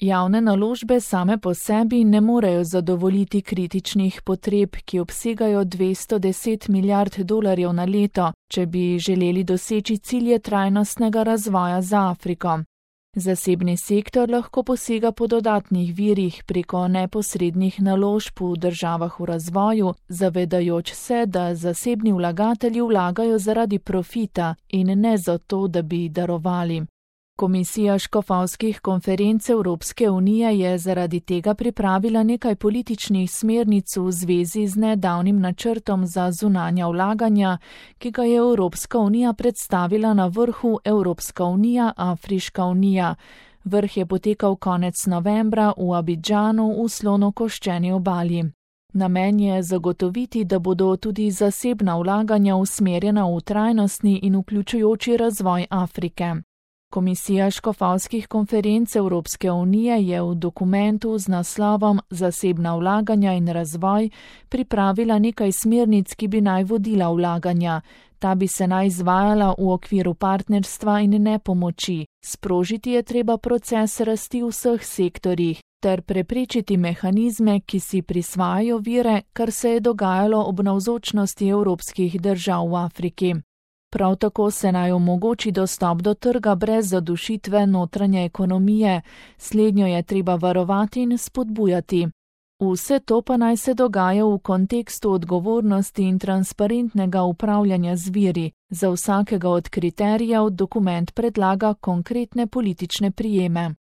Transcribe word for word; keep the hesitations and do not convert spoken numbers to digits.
Javne naložbe same po sebi ne morejo zadovoljiti kritičnih potreb, ki obsegajo dvesto deset milijard dolarjev na leto, če bi želeli doseči cilje trajnostnega razvoja za Afriko. Zasebni sektor lahko posega po dodatnih virih preko neposrednih naložb v državah v razvoju, zavedajoč se, da zasebni vlagatelji vlagajo zaradi profita in ne zato, da bi darovali. Komisija škofovskih konferenc Evropske unije je zaradi tega pripravila nekaj političnih smernic v zvezi z nedavnim načrtom za zunanja vlaganja, ki ga je Evropska unija predstavila na vrhu Evropska unija – Afriška unija. Vrh je potekal konec novembra v Abidžanu v slonokoščeni obali. Namen je zagotoviti, da bodo tudi zasebna vlaganja usmerjena v trajnostni in vključujoči razvoj Afrike. Komisija škofovskih konferenc Evropske unije je v dokumentu z naslovom Zasebna vlaganja in razvoj pripravila nekaj smernic, ki bi naj vodila vlaganja. Ta bi se naj izvajala v okviru partnerstva in ne pomoči. Sprožiti je treba proces rasti v vseh sektorjih ter preprečiti mehanizme, ki si prisvajajo vire, kar se je dogajalo ob navzočnosti evropskih držav v Afriki. Prav tako se naj omogoči dostop do trga brez zadušitve notranje ekonomije, slednjo je treba varovati in spodbujati. Vse to pa naj se dogaja v kontekstu odgovornosti in transparentnega upravljanja z viri. Za vsakega od kriterijev dokument predlaga konkretne politične prijeme.